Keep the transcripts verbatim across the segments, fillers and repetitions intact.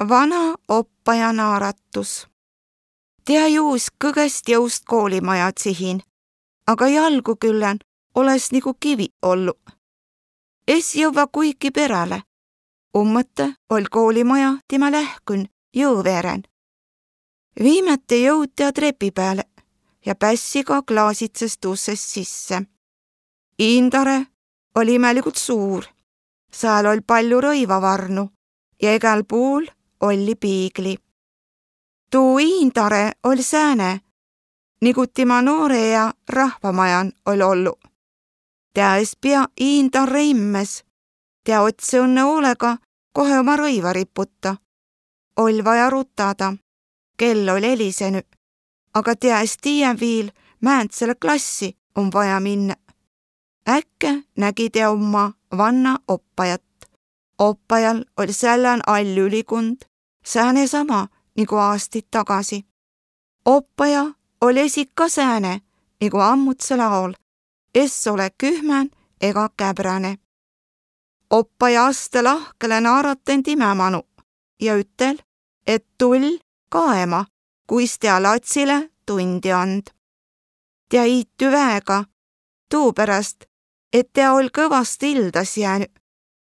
Vana oppaja naaratus. Tea juus kõgest jõust koolimaja tsihin, aga jalgu küllän oles nigu kivi ollu. Es jõvva kuiki peräle. Ummõtõ oll' koolimaja timä lähkün jõõ veeren. Viimäte jõud tea trepi pääle ja pässiga klaasitsõs tussest sisse. Iindare oll' imäligult suur. Sääl oll' pallu rõivavarnu ja egäl puul olli piigli. Tuu iindare oll' sääne, nigu tima noorõ ea rahvamajan oll' ollu. Tea es pia iindarre immes, tea otsõ õnnõ hoolega, kohe uma rõiva riputa. Oll' vaja rutada. Kell oll' elisenü, aga tea es tiiä viil, määndsele klassi om vaja minnä. Äkkä nägi tea umma vanna oppajat. Oppajal oll' sällän all ülikund, sääne sama nigu aastit tagasi. Oppaja oll' esi ka sääne nigu ammudsel aol, es ole kühmän ega käbräne. Oppaja astõ lahkele naarataen timä manu ja ütel', et tull' kaema, kuis tea latsile tundi and. Tea iitü väega, tuuperäst et tea oll' kõvast ildas jäänü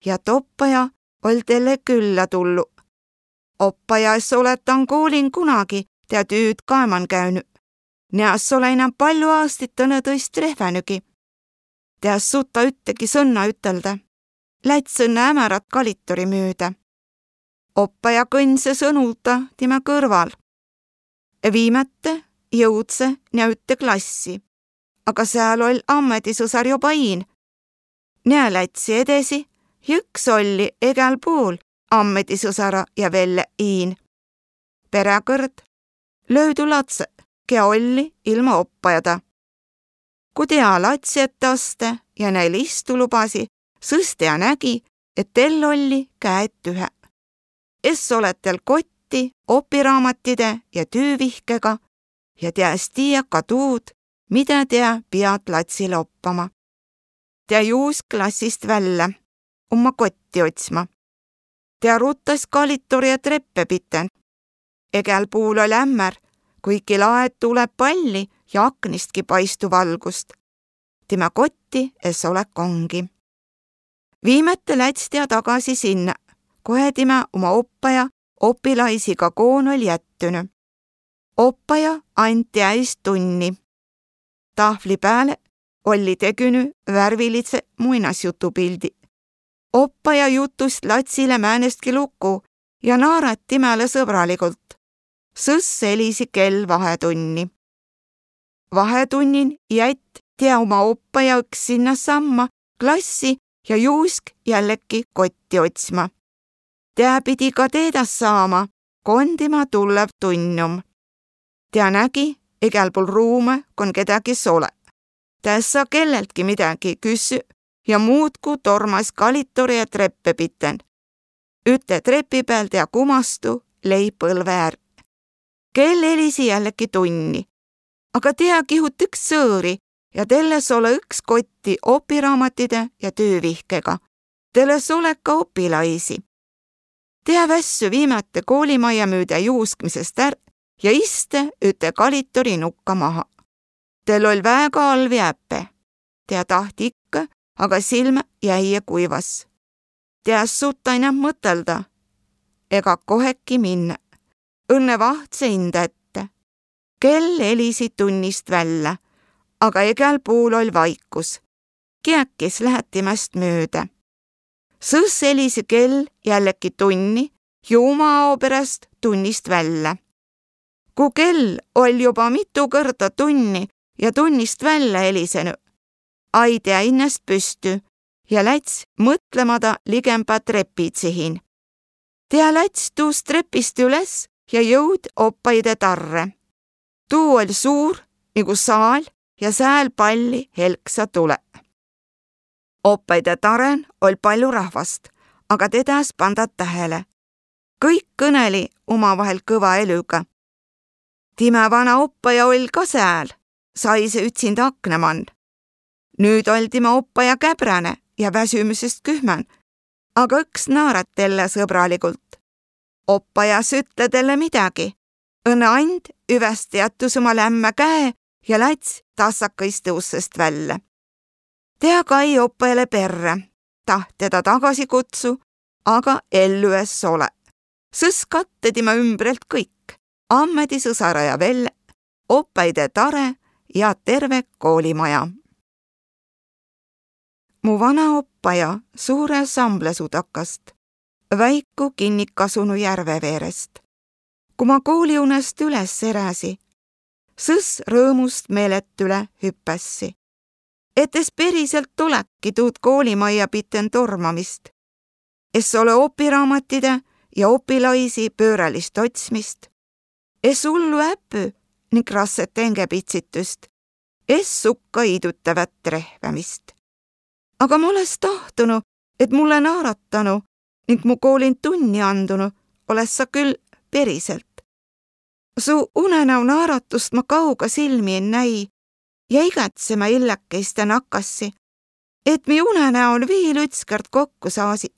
ja et oppaja oll' telle küllä tullu. Oppaja es ole tan koolin kunagi tea tüüd kaeman käünü. Tea es ole inäm pallu aastit tõnõ tõist trehvänügi. Tea es suta üttegi sõnna üteldä. Läts' õnnõ ämärat kalitori müüdä. Oppaja kõndsõ sõnulda timä kõrval. Viimäte jõudsõ tea ütte klassi, aga sääl oll' ammedisõsar joba iin. Tea lätsi edesi ja õks olli egäl puul ammedisõsara ja velle iin. Peräkõrd löüdü latsõ, kiä olli ilma oppajada. Ku tea latsi ette astõ ja näil istu lubasi, sõs tea nägi, et tel olli käe tühä. Es ole tel kotti opiraamatide ja tüüvihkega ja tea es tiiä ka tuud, midä tea piat latsile oppama. Tea juus klassist vällä, umma kotti otsma. Tea rutas kalitori ja treppe piten. Egäl puul oll' ämmär, kuiki laet tulõ palli ja aknistki paistu valgust. Timä kotti es ole kongi. Viimäte läts' tea tagasi sinnä, kohe timä uma oppaja opilaisiga koon oll' jättünü. Oppaja and tea eest tunni. Tahvli pääle olli tegünü värvilidse muinasjutupildi. Oppaja jutus latsile määnestki luku ja naarat timäle sõbraligult. Sõs elisi kell vahetunni. Vahetunnin jätt tea uma oppaja õks sinnäsamma klassi ja juusk jälleki kotti otsma. Tea pidi ka teedä saama, kon tima tullev tunn om. Tea nägi egäl puul ruumõ, kon kedägi es ole. Tea es saa kelleltki midägi küssü ja muudku tormas kalitori ja treppe piten. Üte trepi pääl tea kumastu, lei põlve är. Kell elisi jälleki tunni. Aga tea kihut õks tsõõri ja tel es ole õks kotti opiraamatide ja tüüvihkega. Tel es ole ka opilaisi. Tea vässü viimäte koolimaja müüdä juuskmisest är ja istte üte kalitori nukka maha. Tel oll' väega alvi äppe. Tea taht ikkõ, aga silmä jäi ja kuivas. Tea es suta inämb mõtõlda ega koheki minnä. Õnnõ vahtsõ inda ette. Kell elisi tunnist vällä, aga egäl puul oll' vaikus. Kiäki es lähe timäst müüdä. Sõs elisi kell jälleki tunni ja uma ao peräst tunnist vällä. Ku kell oll' joba mitu kõrda tunni ja tunnist vällä elisenü, ai tea innäst püstü ja läts' mõtlõmada ligembä trepi tsihin. Tea läts' tuust trepist üles ja jõud oppaide tarre. Tuu oll' suur nigu saal ja sääl palli helksa tulõ. Oppaide tarõn oll' pallu rahvast, aga tedä es panda tähele. Kõik kõneli umavahel kõva elüga. Timä vana oppaja oll' ka sääl, saisõ ütsinda aknõ man. Nüüt oll' timä oppaja käbräne ja väsümüsest kühmän, aga õks naarat telle sõbraligult. Oppaja es ütle talle midägi, õnnõ and üvästi jättus uma lämmä käe ja läts tassakõistõ ussõst vällä. Tea kai oppajale perrä, taht tedä tagasi kutsu, aga ellü es ole. Sõs kattõ timä ümbrelt kõik: ammedi, sõsara ja velle, oppaide tare ja terve koolimaja. Mu vana oppaja Suure Samblasuu takast, väiku kinniq kasunu järve veerest. Ku ma kooliunast üles eräsi, sõs rõõmust meelet üle hüppassi, et es periselt oleki tuud koolimajja piten tormamist. Es ole opiraamatide ja opilaisi pöörälist otsmist. Es ullu äpü ning rasset engäpitsitüst. Es sukka idutavat trehvämist. Aga ma oles tahtunu, et mulle naaratanu ning mu koolin tunni andunu oles sa küll periselt. Su unenäo naaratust ma kauga silmi en näi ja igatsema illäkeiste nakkassi, et mi unenäol viil ütskõrd kokku saasi.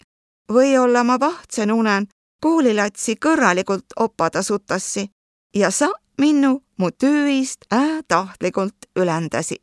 Või-olla ma vahtsõn unen koolilatsi kõrraligult opada sutassi ja sa minnu mu tüü iist ää tahtligult üländäsi.